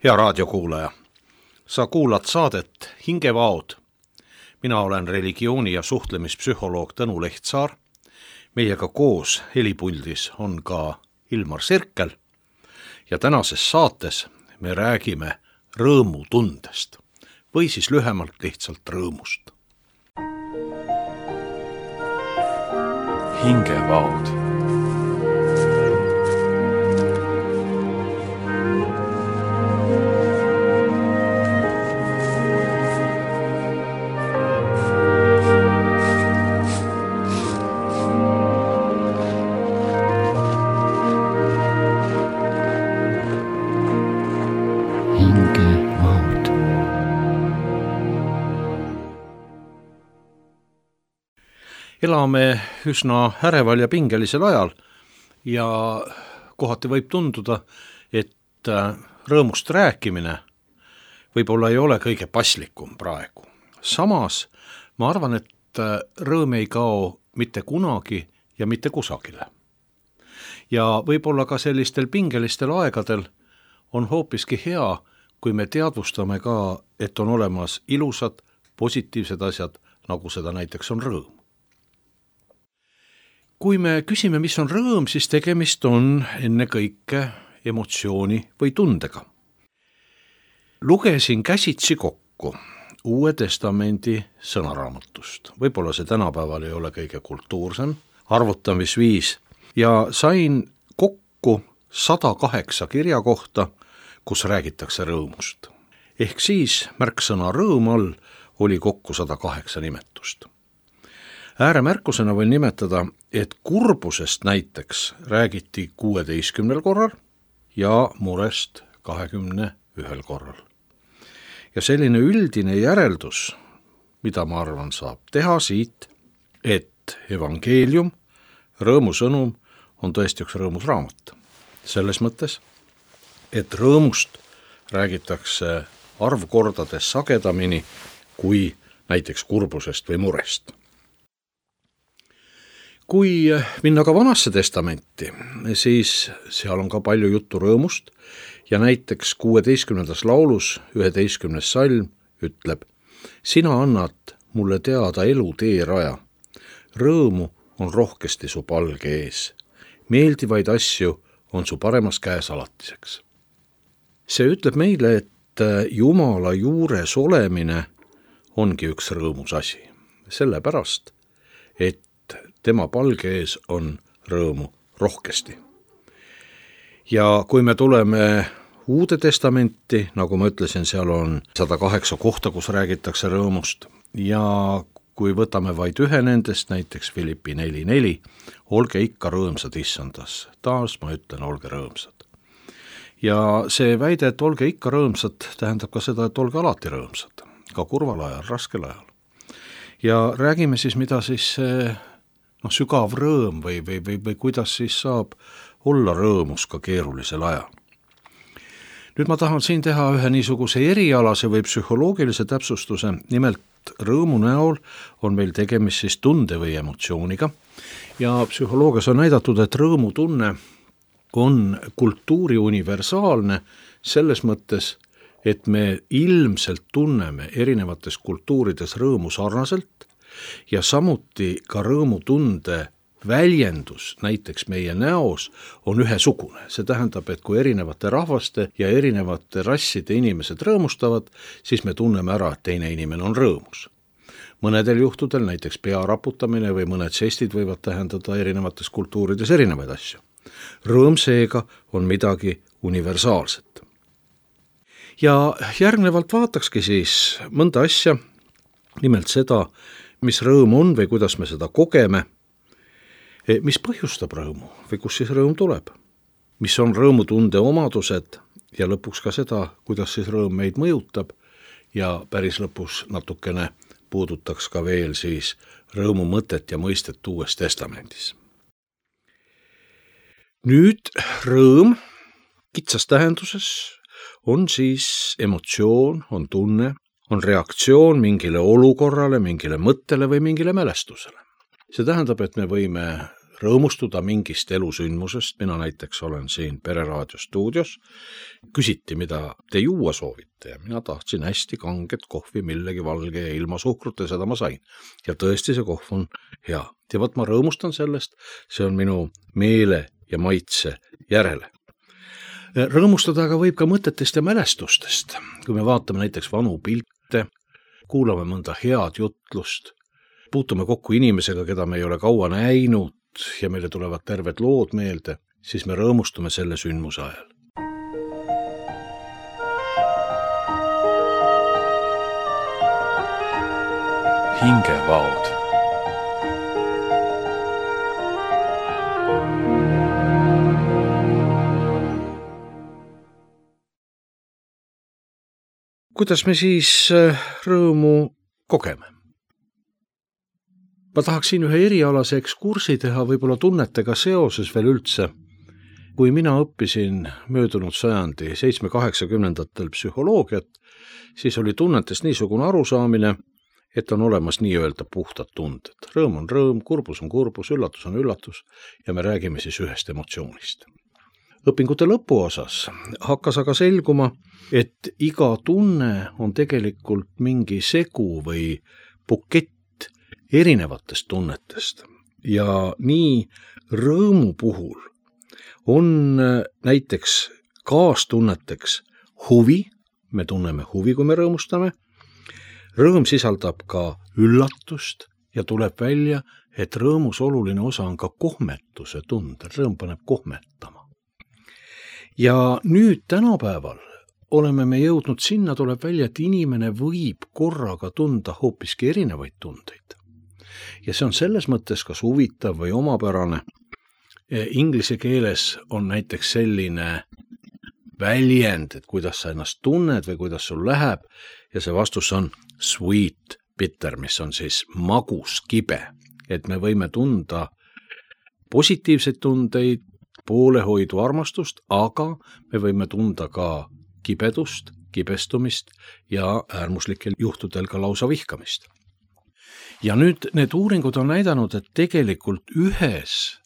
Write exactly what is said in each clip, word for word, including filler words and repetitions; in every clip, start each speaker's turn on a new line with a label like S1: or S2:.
S1: Hea raadiokuulaja, sa kuulad saadet Hingevaod. Mina olen religiooni- ja suhtlemispsühholoog Tõnu Lehtsaar. Meiega koos helipuldis on ka Ilmar Sirkel. Ja tänases saates me räägime rõõmutundest või siis lühemalt lihtsalt rõõmust.
S2: Hingevaod.
S1: Elame üsna äreval ja pingelisel ajal ja kohati võib tunduda, et rõõmust rääkimine võib-olla ei ole kõige paslikum praegu. Samas ma arvan, et rõõm ei kao mitte kunagi ja mitte kusagile. Ja võib-olla ka sellistel pingelistel aegadel on hoopiski hea, kui me teadvustame ka, et on olemas ilusad, positiivsed asjad, nagu seda näiteks on rõõm. Kui me küsime, mis on rõõm, siis tegemist on enne kõike emotsiooni või tundega. Lugesin käsitsi kokku Uue Testamendi sõnaraamatust. Võib-olla see tänapäeval ei ole kõige kultuursem arvutamisviis ja sain kokku sada kaheksa kirja kohta, kus räägitakse rõõmust. Ehk siis märksõna rõõm all oli kokku sada kaheksa nimetust. Ääremärkusena võin nimetada, et kurbusest näiteks räägiti kuueteistkümnel korral ja murest kahekümne ühel korral. Ja selline üldine järeldus, mida ma arvan saab teha siit, et evangeelium, rõõmusõnum on tõesti üks rõõmus raamat. Selles mõttes, et rõõmust räägitakse arvkordades sagedamini kui näiteks kurbusest või murest. Kui minna ka Vanasse Testamenti, siis seal on ka palju juttu rõõmust ja näiteks kuueteistkümnendas laulus üheteistkümnes salm ütleb: sina annad mulle teada elu teeraja, rõõmu on rohkesti su palge ees, meeldivaid asju on su paremas käes alatiseks. See ütleb meile, et Jumala juures olemine ongi üks rõõmus asi, sellepärast, et tema palge ees on rõõmu rohkesti. Ja kui me tuleme Uude Testamenti, nagu ma ütlesin, seal on sada kaheksa kohta, kus räägitakse rõõmust ja kui võtame vaid ühe nendest, näiteks Filippi neli neli, olge ikka rõõmsad issandas, taas ma ütlen, olge rõõmsad. Ja see väide, et olge ikka rõõmsad, tähendab ka seda, et olge alati rõõmsad, ka kurval ajal, raskel ajal. Ja räägime siis, mida siis no, sügav rõõm või, või, või, või kuidas siis saab olla rõõmus ka keerulisel ajal. Nüüd ma tahan siin teha ühe niisuguse erialase või psühholoogilise täpsustuse, nimelt rõõmu näol on meil tegemist siis tunde või emotsiooniga ja psühholoogias on näidatud, et rõõmutunne on kultuuri universaalne selles mõttes, et me ilmselt tunneme erinevates kultuurides rõõmu sarnaselt ja samuti ka rõõmutunde väljendus näiteks meie näos on ühesugune. See tähendab, et kui erinevate rahvaste ja erinevate rasside inimesed rõõmustavad, siis me tunneme ära, et teine inimene on rõõmus. Mõnedel juhtudel, näiteks pea raputamine või mõned žestid võivad tähendada erinevates kultuurides erinevaid asju. Rõõm seega on midagi universaalset. Ja järgnevalt vaatakski siis mõnda asja, nimelt seda, mis rõõm on või kuidas me seda kogeme, mis põhjustab rõõmu või kus siis rõõm tuleb, mis on rõõmutunde omadused ja lõpuks ka seda, kuidas siis rõõm meid mõjutab ja päris lõpus natukene puudutaks ka veel siis rõõmu mõtet ja mõistet Uues Testamendis. Nüüd rõõm kitsas tähenduses on siis emotsioon, on tunne, on reaktsioon mingile olukorrale, mingile mõttele või mingile mälestusele. See tähendab, et me võime rõõmustuda mingist elusündmusest, mina näiteks olen siin Pereraadio stuudios, küsiti, mida te juua soovite ja mina tahtsin hästi kanget kohvi millegi valge ja ilma suhkrut ja seda ma sain. Ja tõesti see kohv on hea. Ja võt ma rõõmustan sellest, see on minu meele ja maitse järele. Rõõmustada aga võib ka mõtetest ja mälestustest. Kui me vaatame näiteks vanu pilte, kuulame mõnda head jutlust, puutume kokku inimesega, keda me ei ole kaua näinud ja meile tulevad terved lood meelde, siis me rõõmustume selle sündmuse ajal.
S2: Hingevaod.
S1: Kuidas me siis rõõmu kogeme? Ma tahaksin ühe erialase ekskursi teha võib-olla tunnetega seoses veel üldse. Kui mina õppisin möödunud sajandi seitsme-kaheksakümnendatel psühholoogiat, siis oli tunnetest niisugune arusaamine, et on olemas nii-öelda puhtad tunded. Rõõm on rõõm, kurbus on kurbus, üllatus on üllatus ja me räägime siis ühest emotsioonist. Õpingute lõpuosas hakkas aga selguma, et iga tunne on tegelikult mingi segu või bukett erinevatest tunnetest. Ja nii rõõmu puhul on näiteks kaastunneteks huvi, me tunneme huvi, kui me rõõmustame. Rõõm sisaldab ka üllatust ja tuleb välja, et rõõmus oluline osa on ka kohmetuse tundel. Rõõm paneb kohmetama. Ja nüüd tänapäeval oleme me jõudnud sinna, tuleb välja, et inimene võib korraga tunda hoopiski erinevaid tundeid. Ja see on selles mõttes kas huvitav või omapärane. Inglise keeles on näiteks selline väljend, et kuidas sa ennast tunned või kuidas sul läheb ja see vastus on sweet bitter, mis on siis magus kibe. Et me võime tunda positiivseid tundeid, poolehoidu armastust, aga me võime tunda ka kibedust, kibestumist ja äärmuslikel juhtudel ka lausa vihkamist. Ja nüüd need uuringud on näidanud, et tegelikult ühes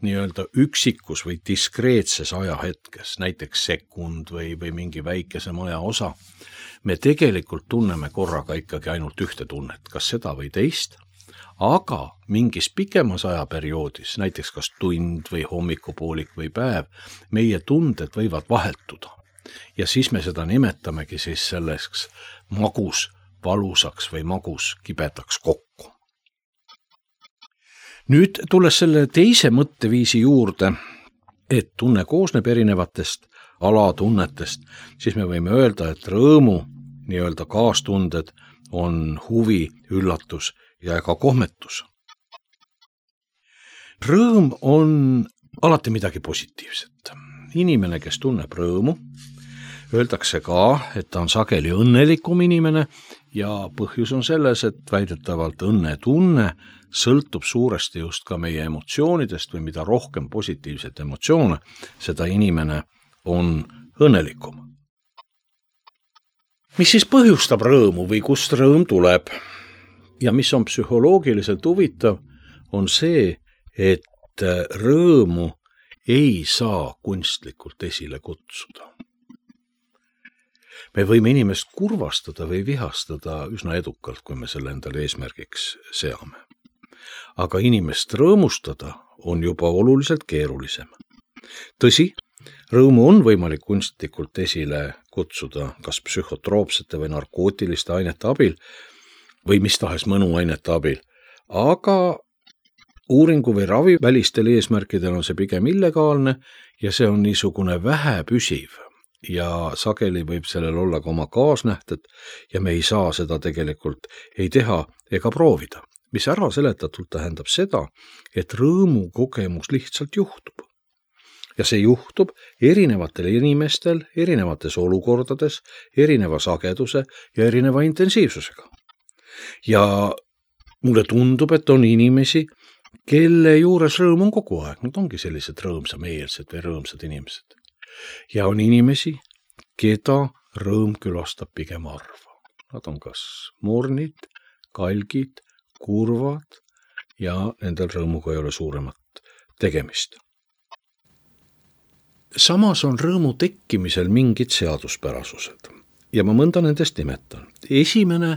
S1: nii-öelda üksikus või diskreetses ajahetkes, näiteks sekund või, või mingi väikesem aja osa, me tegelikult tunneme korraga ikkagi ainult ühte tunnet, kas seda või teist, aga mingis pikemas ajaperioodis, näiteks kas tund või hommikupoolik või päev, meie tunded võivad vahetuda. Ja siis me seda nimetamegi siis selleks magus valusaks või magus kibedaks kokku. Nüüd tulles selle teise mõtteviisi juurde, et tunne koosneb erinevatest alatunnetest, siis me võime öelda, et rõõmu nii-öelda kaastunded on huvi, üllatus ja ka kohmetus. Rõõm on alati midagi positiivset. Inimene, kes tunneb rõõmu, öeldakse ka, et ta on sageli õnnelikum inimene ja põhjus on selles, et väidetavalt õnnetunne sõltub suuresti just ka meie emotsioonidest või mida rohkem positiivset emotsioone, seda inimene on õnnelikum. Mis siis põhjustab rõõmu või kust rõõm tuleb? Ja mis on psühholoogiliselt huvitav, on see, et rõõmu ei saa kunstlikult esile kutsuda. Me võime inimest kurvastada või vihastada üsna edukalt, kui me selle endale eesmärgiks seame. Aga inimest rõõmustada on juba oluliselt keerulisem. Tõsi, rõõmu on võimalik kunstlikult esile kutsuda kas psühhotroopsete või narkootiliste ainete abil või mis tahes mõnuainete abil, aga uuringu või ravi välistel eesmärkidel on see pigem illegaalne ja see on niisugune vähepüsiv. Ja sageli võib sellel olla ka oma kaasnähted ja me ei saa seda tegelikult ei teha ega proovida. Mis ära seletatult tähendab seda, et rõõmu kogemus lihtsalt juhtub. Ja see juhtub erinevatel inimestel, erinevates olukordades, erineva sageduse ja erineva intensiivsusega. Ja mulle tundub, et on inimesi, kelle juures rõõm on kogu aeg. Nad ongi sellised rõõmsameelsed või rõõmsad inimesed. Ja on inimesi, keda rõõm külastab pigem harva. Nad on kas mornid, kalgid, kurvad ja nendel rõõmuga ei ole suuremat tegemist. Samas on rõõmu tekkimisel mingid seaduspärasused ja ma mõnda nendest nimetan. Esimene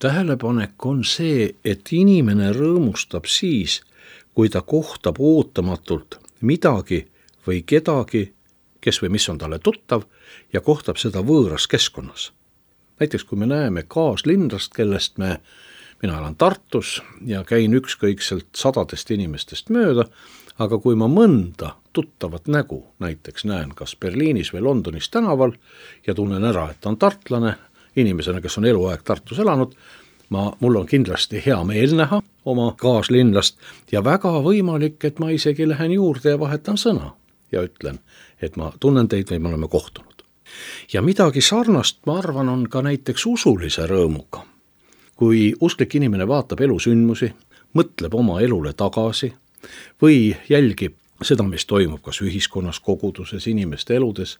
S1: tähelepanek on see, et inimene rõõmustab siis, kui ta kohtab ootamatult midagi või kedagi, kes või mis on talle tuttav ja kohtab seda võõras keskkonnas. Näiteks kui me näeme kaaslinlast, kellest me, mina elan Tartus ja käin ükskõikselt sadadest inimestest mööda, aga kui ma mõnda tuttavat nägu näiteks näen kas Berliinis või Londonis tänaval ja tunnen ära, et ta on tartlane, inimesena, kes on eluaeg Tartus elanud, ma, mul on kindlasti hea meel näha oma kaaslinlast ja väga võimalik, et ma isegi lähen juurde ja vahetan sõna ja ütlen, et ma tunnen teid või me oleme kohtunud. Ja midagi sarnast, ma arvan, on ka näiteks usulise rõõmuga. Kui usklik inimene vaatab elusündmusi, mõtleb oma elule tagasi või jälgib seda, mis toimub kas ühiskonnas, koguduses, inimeste eludes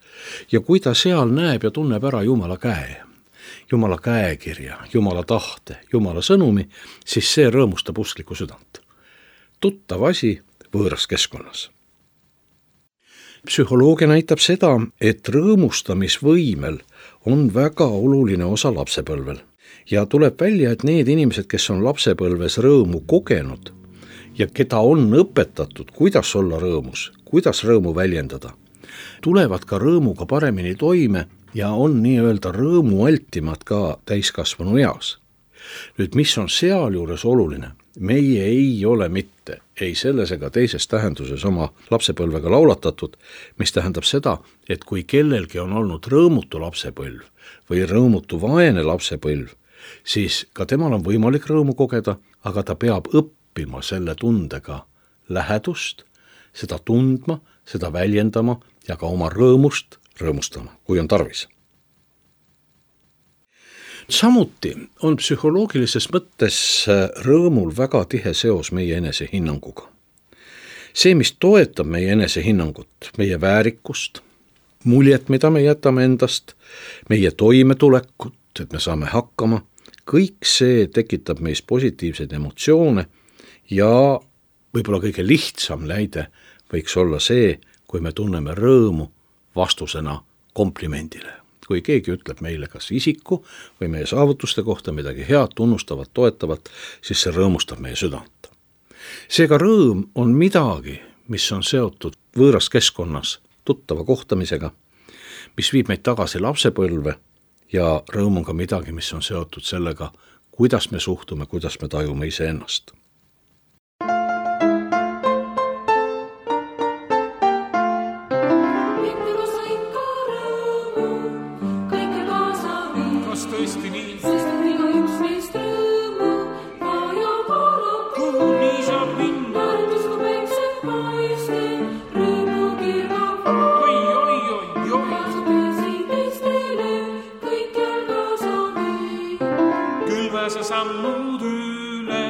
S1: ja kui ta seal näeb ja tunneb ära Jumala käe, Jumala käekirja, Jumala tahte, Jumala sõnumi, siis see rõõmustab usklikku südant. Tuttav asi võõras keskkonnas. Psühholoogia näitab seda, et rõõmustamisvõimel on väga oluline osa lapsepõlvel ja tuleb välja, et need inimesed, kes on lapsepõlves rõõmu kogenud ja keda on õpetatud, kuidas olla rõõmus, kuidas rõõmu väljendada, tulevad ka rõõmuga paremini toime ja on nii-öelda rõõmualtimad ka täiskasvanu eas. Nüüd, mis on sealjuures oluline? Meie ei ole mitte, ei selles ega teises tähenduses oma lapsepõlvega laulatatud, mis tähendab seda, et kui kellelgi on olnud rõõmutu lapsepõlv või rõõmutu vaene lapsepõlv, siis ka temal on võimalik rõõmu kogeda, aga ta peab õppima selle tundega lähedust, seda tundma, seda väljendama ja ka oma rõõmust rõõmustama, kui on tarvis. Samuti on psühholoogilises mõttes rõõmul väga tihe seos meie enesehinnanguga. See, mis toetab meie enesehinnangut, meie väärikust, muljet, mida me jätame endast, meie toimetulekut, et me saame hakkama, kõik see tekitab meis positiivseid emotsioone ja võib-olla kõige lihtsam näide võiks olla see, kui me tunneme rõõmu vastusena komplimendile. Kui keegi ütleb meile kas isiku või meie saavutuste kohta midagi head, tunnustavat, toetavat, siis see rõõmustab meie südant. Seega rõõm on midagi, mis on seotud võõras keskkonnas tuttava kohtamisega, mis viib meid tagasi lapsepõlve ja rõõm on ka midagi, mis on seotud sellega, kuidas me suhtume, kuidas me tajume iseennast.
S3: Sammud üle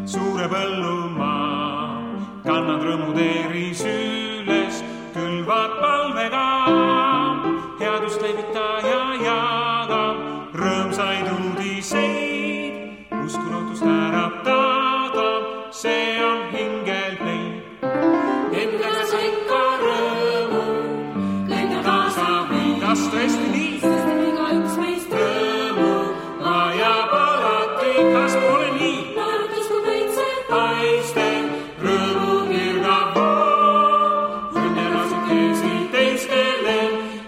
S3: suure põllumaa, kannad rõõmuteeri süles, külvad palvega, headust levita ja jaga, rõõmsaid uudiseid, usku lootust äratada, see on hingel leib. Endaga sa ikka rõõmu, kõige kaasa või, kas tõesti nii? Iga üks meist rõõmu vajab alati, kas pole nii? Naeratus kui veitse paistel, rõõmu kirgab vool, õnne rasukesi teistele,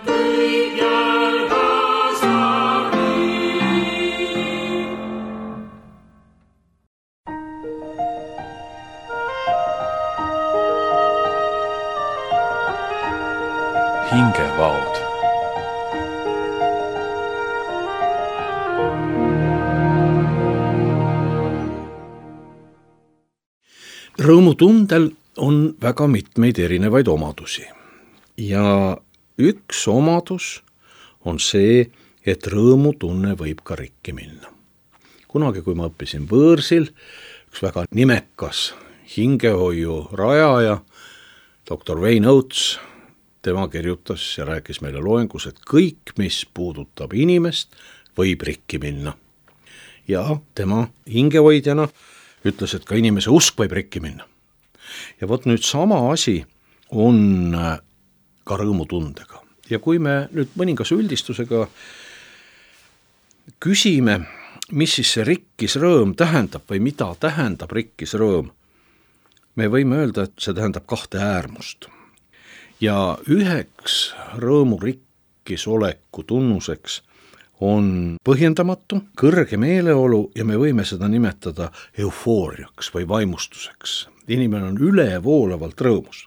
S3: kõik jalga saari.
S2: Hingevaud.
S1: Rõõmutundel on väga mitmeid erinevaid omadusi ja üks omadus on see, et rõõmutunne võib ka rikki minna. Kunagi, kui ma õppisin võõrsil, üks väga nimekas hingehoiu rajaja, doktor Wayne Oates, tema kirjutas ja rääkis meile loengus, et kõik, mis puudutab inimest, võib rikki minna. Ja tema hingehoidjana ütles, et ka inimese usk võib rikki minna. ja vot nüüd sama asi on ka rõõmutundega. Ja kui me nüüd mõningase üldistusega küsime, mis siis see rikkis rõõm tähendab või mida tähendab rikkis rõõm, me võime öelda, et see tähendab kahte äärmust. Ja üheks rõõmu rikkis oleku tunnuseks on põhjendamatu, kõrge meeleolu ja me võime seda nimetada eufooriaks või vaimustuseks. Inimene on ülevoolavalt rõõmus.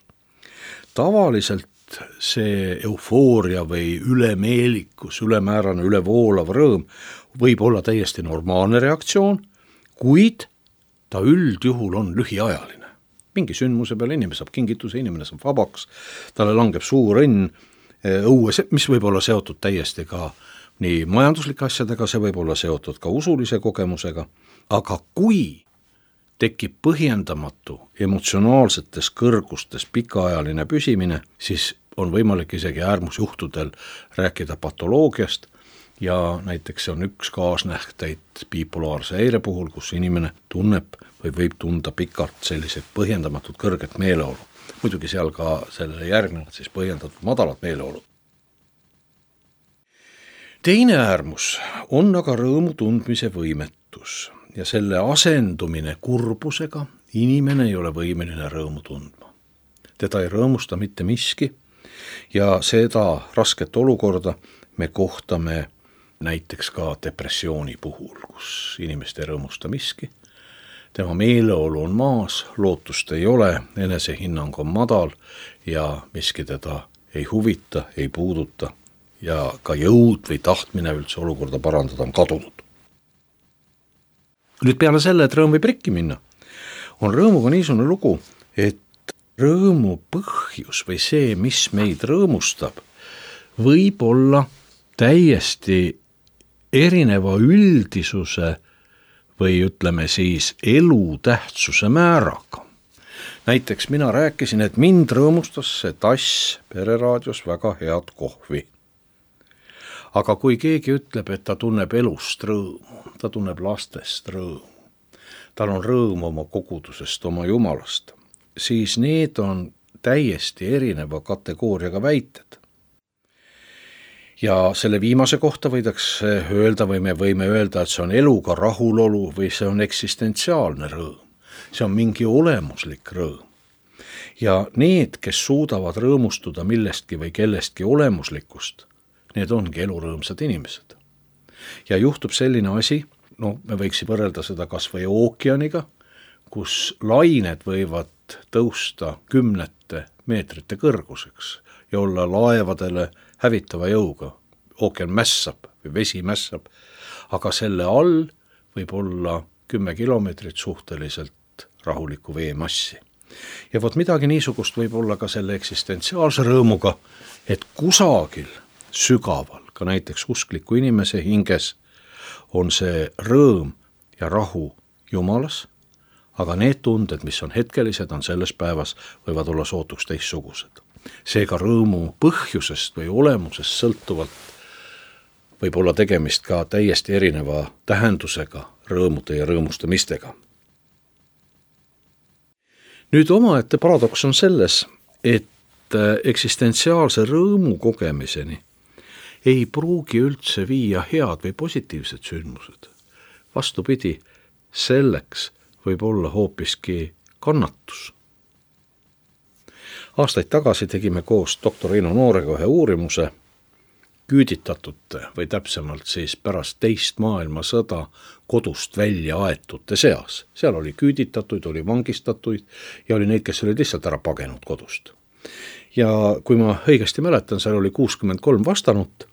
S1: Tavaliselt see eufooria või ülemeelikus, ülemäärane, ülevoolav rõõm võib olla täiesti normaalne reaktsioon, kuid ta üldjuhul on lühiajaline. Mingi sündmuse peale inimene saab kingituse, inimene saab vabaks, talle langeb suur õnn õue, mis võib olla seotud täiesti ka nii majanduslike asjadega, see võib olla seotud ka usulise kogemusega, aga kui tekib põhjendamatu emotsionaalsetes kõrgustes pikaajaline püsimine, siis on võimalik isegi äärmusjuhtudel rääkida patoloogiast ja näiteks on üks kaasnähteid bipolaarse häire puhul, kus inimene tunneb või võib tunda pikalt selliseid põhjendamatut kõrget meeleolu. Muidugi seal ka sellele järgnevad siis põhjendatud madalat meeleolu. Teine äärmus on aga rõõmu tundmise võimetus ja selle asendumine kurbusega inimene ei ole võimeline rõõmu tundma. Teda ei rõõmusta mitte miski ja seda rasket olukorda me kohtame näiteks ka depressiooni puhul, kus inimest ei rõõmusta miski. Tema meeleolu on maas, lootust ei ole, enesehinnang on madal ja miski teda ei huvita, ei puuduta ja ka jõud või tahtmine üldse olukorda parandada on kadunud. Nüüd peale selle, et rõõm võib rikki minna, on rõõmuga niisugune lugu, et rõõmu põhjus või see, mis meid rõõmustab, võib olla täiesti erineva üldisuse või ütleme siis elu tähtsuse määraga. Näiteks mina rääkisin, et mind rõõmustas see tass Pereraadios väga head kohvi. Aga kui keegi ütleb, et ta tunneb elust rõõmu, ta tunneb lastest rõõmu, tal on rõõm oma kogudusest, oma Jumalast, siis need on täiesti erineva kategooriaga väited. Ja selle viimase kohta võidakse öelda või me võime öelda, et see on eluga rahulolu või see on eksistentsiaalne rõõm. See on mingi olemuslik rõõm. Ja need, kes suudavad rõõmustuda millestki või kellestki olemuslikust, need ongi elurõõmsad inimesed. Ja juhtub selline asi, no me võiksime võrrelda seda kas või ookeaniga, kus lained võivad tõusta kümnete meetrite kõrguseks ja olla laevadele hävitava jõuga. Ookean mässab või vesi mässab, aga selle all võib olla kümme kilomeetrit suhteliselt rahulikku veemassi. Ja vot midagi niisugust võib olla ka selle eksistentsiaalse rõõmuga, et kusagil sügaval, ka näiteks uskliku inimese hinges, on see rõõm ja rahu Jumalas, aga need tunded, mis on hetkelised, on selles päevas, võivad olla sootuks teistsugused. Seega rõõmu põhjusest või olemusest sõltuvalt võib olla tegemist ka täiesti erineva tähendusega rõõmude ja rõõmustamistega. Nüüd omaette paradoks on selles, et eksistentsiaalse rõõmu kogemiseni ei pruugi üldse viia head või positiivsed sündmused. Vastupidi, selleks võib olla hoopiski kannatus. Aastaid tagasi tegime koos doktor Eino Noorega ühe uurimuse küüditatute või täpsemalt siis pärast teist maailmasõda kodust välja aetute seas. Seal oli küüditatuid, oli vangistatuid ja oli neid, kes olid lihtsalt ära pagenud kodust. Ja kui ma õigesti mäletan, seal oli kuuskümmend kolm vastanut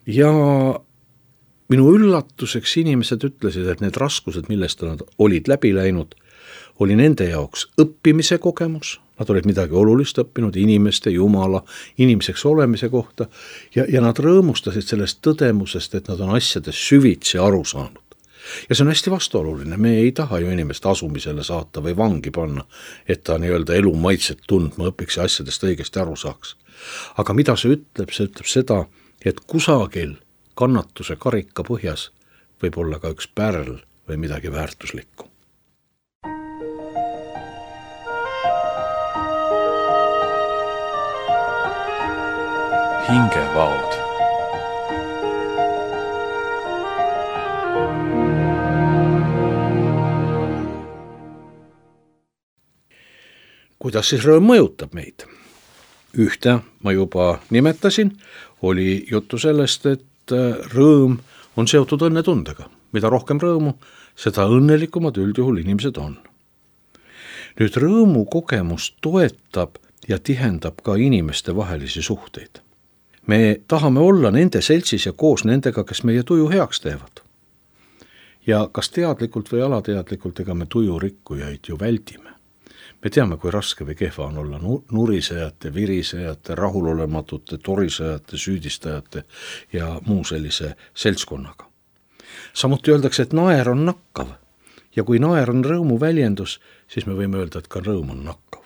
S1: ja minu üllatuseks inimesed ütlesid, et need raskused, millest nad olid läbi läinud, oli nende jaoks õppimise kogemus. Nad olid midagi olulist õppinud inimeste, Jumala, inimeseks olemise kohta ja, ja nad rõõmustasid sellest tõdemusest, et nad on asjades süvitsi aru saanud. Ja see on hästi vastuoluline, me ei taha ju inimest asumisele saata või vangi panna, et ta nii-öelda elu maitset tundma õpiks ja asjadest õigesti aru saaks. Aga mida see ütleb? See ütleb seda, et kusagil kannatuse karika põhjas võib olla ka üks pärl või midagi väärtuslikku.
S2: hingevaod.
S1: Kuidas siis rõõm mõjutab meid? Ühte ma juba nimetasin, oli juttu sellest, et rõõm on seotud õnnetundega. Mida rohkem rõõmu, seda õnnelikumad üldjuhul inimesed on. Nüüd rõõmu kogemus toetab ja tihendab ka inimeste vahelisi suhteid. Me tahame olla nende seltsis ja koos nendega, kes meie tuju heaks teevad. Ja kas teadlikult või alateadlikult, ega me tuju rikkujaid ju väldime. Me teame, kui raske või kehva on olla nurisejate, virisejate, rahulolematute, torisejate, süüdistajate ja muu sellise seltskonnaga. Samuti öeldakse, et naer on nakkav ja kui naer on rõõmu väljendus, siis me võime öelda, et ka rõõm on nakkav.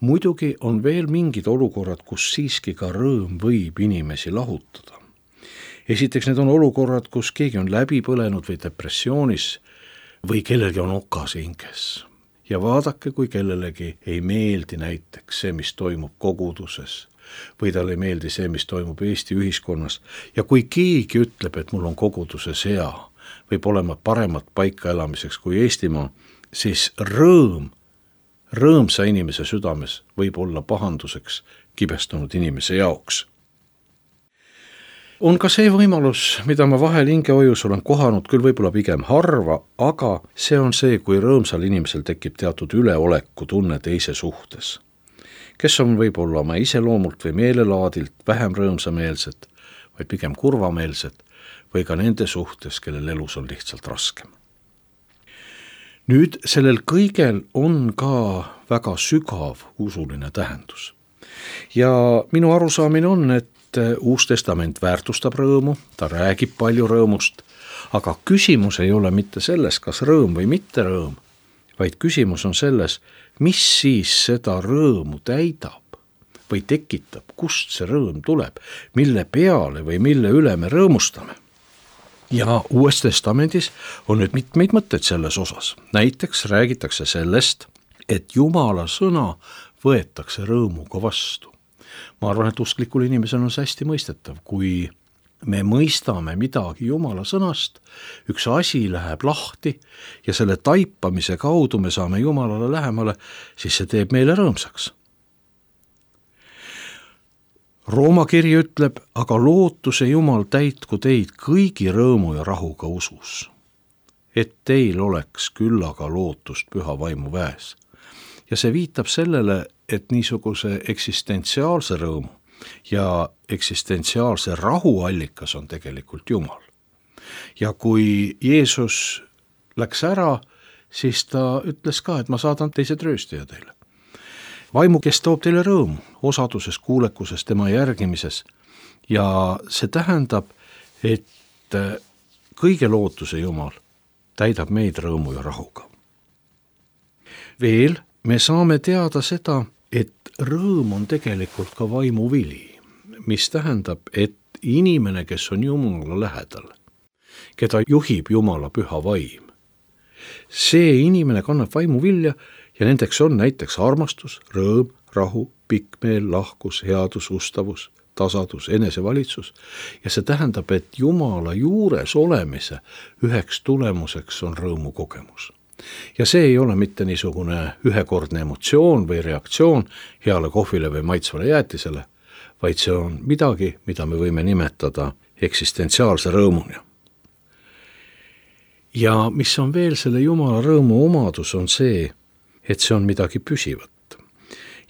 S1: Muidugi on veel mingid olukorrad, kus siiski ka rõõm võib inimesi lahutada. Esiteks need on olukorrad, kus keegi on läbi põlenud või depressioonis või kellelgi on okas hinges. Ja vaadake, kui kellelegi ei meeldi näiteks see, mis toimub koguduses või tal ei meeldi see, mis toimub Eesti ühiskonnas. Ja kui keegi ütleb, et mul on koguduses hea, võib olema paremat paika elamiseks kui Eestimaa, siis rõõm, rõõmsa inimese südames võib olla pahanduseks kibestunud inimese jaoks. On ka see võimalus, mida ma vahel hingehoius olen kohanud, küll võib-olla pigem harva, aga see on see, kui rõõmsal inimesel tekib teatud üleoleku tunne teise suhtes. Kes on võib-olla oma iseloomult või meelelaadilt vähem rõõmsameelsed, vaid pigem kurvameelsed või ka nende suhtes, kellel elus on lihtsalt raskem. Nüüd sellel kõigel on ka väga sügav usuline tähendus. Ja minu arusaamine on, et Uus Testament väärtustab rõõmu, ta räägib palju rõõmust, aga küsimus ei ole mitte selles, kas rõõm või mitte rõõm, vaid küsimus on selles, mis siis seda rõõmu täidab või tekitab, kust see rõõm tuleb, mille peale või mille üle me rõõmustame. Ja Uues Testamendis on nüüd mitmeid mõtteid selles osas. Näiteks räägitakse sellest, et Jumala sõna võetakse rõõmuga vastu. Ma arvan, et usklikul inimesel on see hästi mõistetav, kui me mõistame midagi Jumala sõnast, üks asi läheb lahti ja selle taipamise kaudu me saame Jumalale lähemale, siis see teeb meile rõõmsaks. Rooma kiri ütleb, aga lootuse Jumal täitku teid kõigi rõõmu ja rahuga usus, et teil oleks küllaga lootust püha vaimu väes. Ja see viitab sellele, et niisuguse eksistentsiaalse rõõmu ja eksistentsiaalse rahu allikas on tegelikult Jumal. Ja kui Jeesus läks ära, siis ta ütles ka, et ma saadan teise trööstija teile. Vaimu, kes toob teile rõõmu, osaduses, kuulekuses, tema järgimises. Ja see tähendab, et kõige lootuse Jumal täidab meid rõõmu ja rahuga. Veel me saame teada seda, et rõõm on tegelikult ka vaimu vili, mis tähendab, et inimene, kes on Jumala lähedal, keda juhib Jumala püha vaim, see inimene kannab vaimu vilja ja nendeks on näiteks armastus, rõõm, rahu, pikkmeel, lahkus, headus, ustavus, tasadus, enesevalitsus. Ja see tähendab, et Jumala juures olemise üheks tulemuseks on rõõmu kogemus. Ja see ei ole mitte niisugune ühekordne emotsioon või reaktsioon heale kohvile või maitsvale jäätisele, vaid see on midagi, mida me võime nimetada eksistentsiaalse rõõmuna. Ja mis on veel selle Jumala rõõmu omadus, on see, et see on midagi püsivat.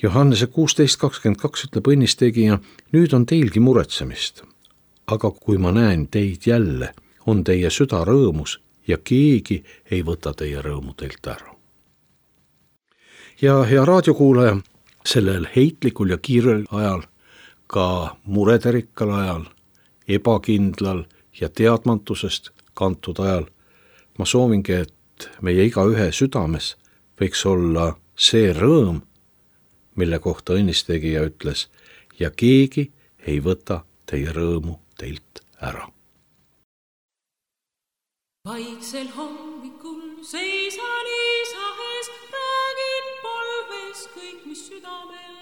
S1: Johannese kuusteist kakskümmend kaks ütleb õnnistegija, nüüd on teilgi muretsemist, aga kui ma näen teid jälle, on teie süda rõõmus ja keegi ei võta teie rõõmu teilt ära. Ja hea raadiokuulaja, sellel heitlikul ja kiirel ajal, ka murederikkal ajal, ebakindlal ja teadmatusest kantud ajal, ma soovingi, et meie igaühe südames võiks olla see rõõm, mille kohta õnnistegija ütles, ja keegi ei võta teie rõõmu teilt ära.
S4: Vaiksel hommikul seisan isa ees, räägin palves kõik, mis südamel.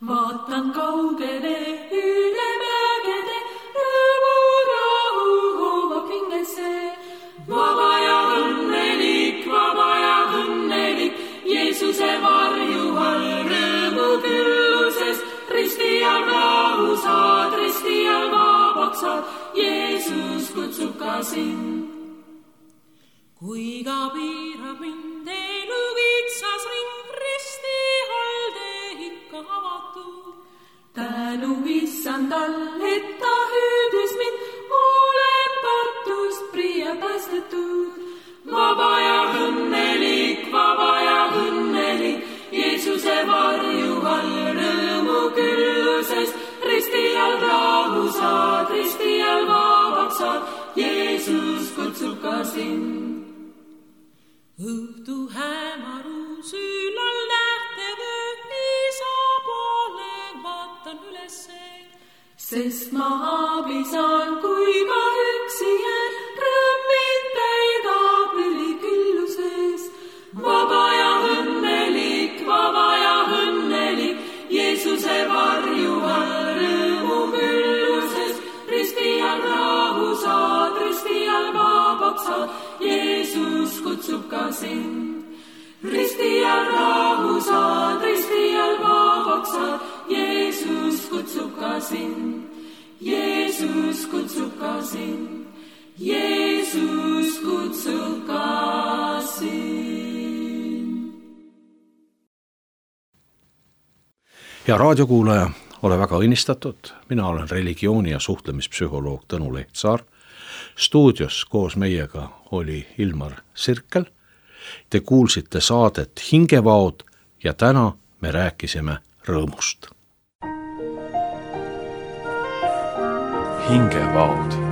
S4: vaatan kaugele üle mägede, rõõmu rahu hoomab hingesse. Vaba ja õnnelik, vaba ja õnnelik, Jeesuse varju all rõõmu külluses, risti all rahu saad, risti all vabaks saad, Jeesus kutsub ka sind. Kui ka piirab mind elu kitsas ring, risti all tee ikka avatud. Tänu issandal, et ta hüüdis mind, olen patust pria päästetud. Vaba ja õnnelik, vaba ja õnnelik, Jeesuse varju all rõõmu külluses, risti all rahu saad, risti all vabaks saad, Jeesus kutsub ka sind. Õhtu hämarus ülal nähtevöö, isa poole vaatan ülesse. Sest ma abi saan, kui ma üksi jään, rõõm mind täidab ülikülluses. Vaba ja õnnelik, vaba ja õnnelik, Jeesuse varju all rõõmu külluses, risti all rahu saad, risti all vabaks saad, Jeesus kutsub ka sind. Risti all rahu saad, risti all vabaks saad, Jeesus kutsub ka sind. Jeesus kutsub ka sind. Jeesus kutsub ka sind.
S1: Hea raadiokuulaja, ole väga õnnistatud. Mina olen religiooni- ja suhtlemispsühholoog Tõnu Lehtsaar. Stuudios koos meiega oli Ilmar Sirkel. Te kuulsite saadet Hingevaod ja täna me rääkisime rõõmust.
S2: Hingevaod.